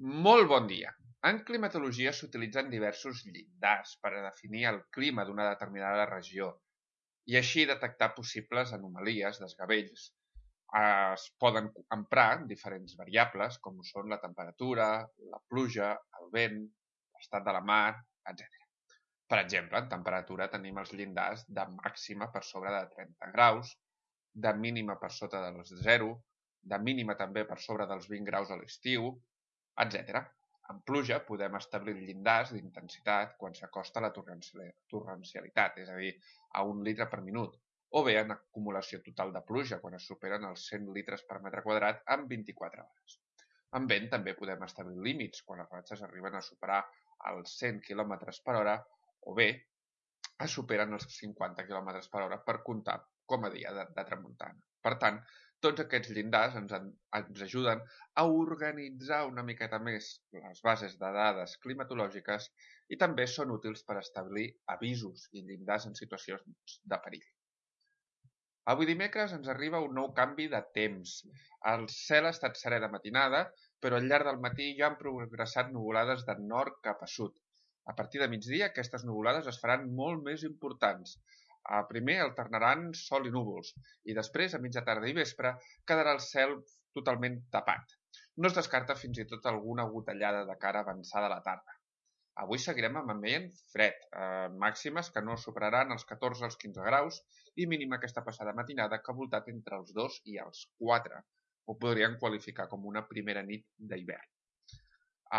Molt bon dia. En climatologia s'utilitzen diversos llindars per a definir el clima d'una determinada regió i així detectar possibles anomalies, desgavells. Es poden emprar diferents variables com són la temperatura, la pluja, el vent, l'estat de la mar, etc. Per exemple, en temperatura tenim els llindars de màxima per sobre de 30 graus, de mínima per sota dels 0, de mínima també per sobre dels 20 graus a l'estiu, etc. En pluja podem establir llindars d'intensitat quan s'acosta a la torrencialitat, és a dir, a 1 litre per minut, o bé en acumulació total de pluja quan es superen els 100 litres per metre quadrat en 24 hores. En vent també podem establir límits quan les ratxes arriben a superar els 100 km per hora o bé es superen els 50 km per hora per comptar com a dia de tramuntana. Per tant, tots aquests llindars ens ajuden a organitzar una miqueta més les bases de dades climatològiques i també són útils per establir avisos i llindars en situacions de perill. Avui dimecres ens arriba un nou canvi de temps. El cel ha estat serè de matinada, però al llarg del matí ja han progressat nuvolades de nord cap a sud. A partir de migdia aquestes nuvolades es faran molt més importants. Primer alternaran sol i núvols i després, a mitja tarda i vespre, quedarà el cel totalment tapat. No es descarta fins i tot alguna gotellada de cara avançada a la tarda. Avui seguirem amb ambient fred, màximes que no superaran els 14 als 15 graus i mínima aquesta passada matinada que ha voltat entre els 2 i els 4. Ho podríem qualificar com una primera nit d'hivern.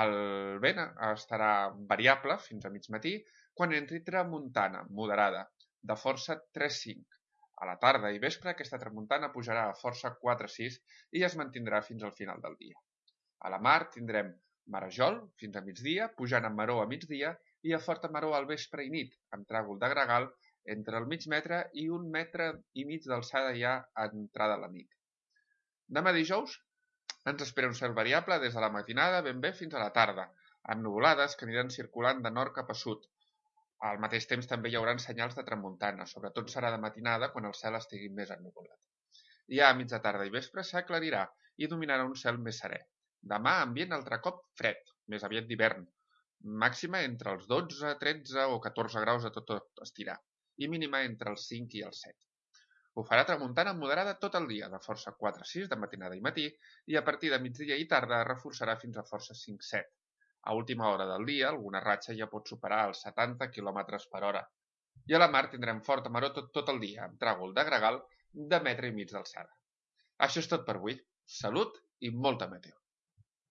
El vent estarà variable fins a mig matí quan entri tramuntana moderada, de força 3-5. A la tarda i vespre aquesta tramuntana pujarà a força 4-6 i es mantindrà fins al final del dia. A la mar tindrem marejol fins a migdia, pujant amb maró a migdia i a forta maró al vespre i nit, amb tràgol de gregal entre el mig metre i 1,5 metres d'alçada ja a entrada a la nit. Demà dijous ens espera un cel variable des de la matinada ben bé fins a la tarda, amb nuvolades que aniran circulant de nord cap a sud. Al mateix temps també hi haurà senyals de tramuntana, sobretot serà de matinada quan el cel estigui més ennuvolat. Ja a mitja tarda i vespre s'aclarirà i dominarà un cel més serè. Demà ambient altre cop fred, més aviat d'hivern, màxima entre els 12, 13 o 14 graus a tot estirar i mínima entre els 5 i els 7. Ho farà tramuntana moderada tot el dia, de força 4-6 de matinada i matí, i a partir de migdia i tarda es reforçarà fins a força 5-7. A última hora del dia, alguna ratxa ja pot superar els 70 km per hora. I a la mar tindrem forta maró tot el dia, amb tràgol de gregal de 1,5 metre d'alçada. Això és tot per avui. Salut i molta meteo.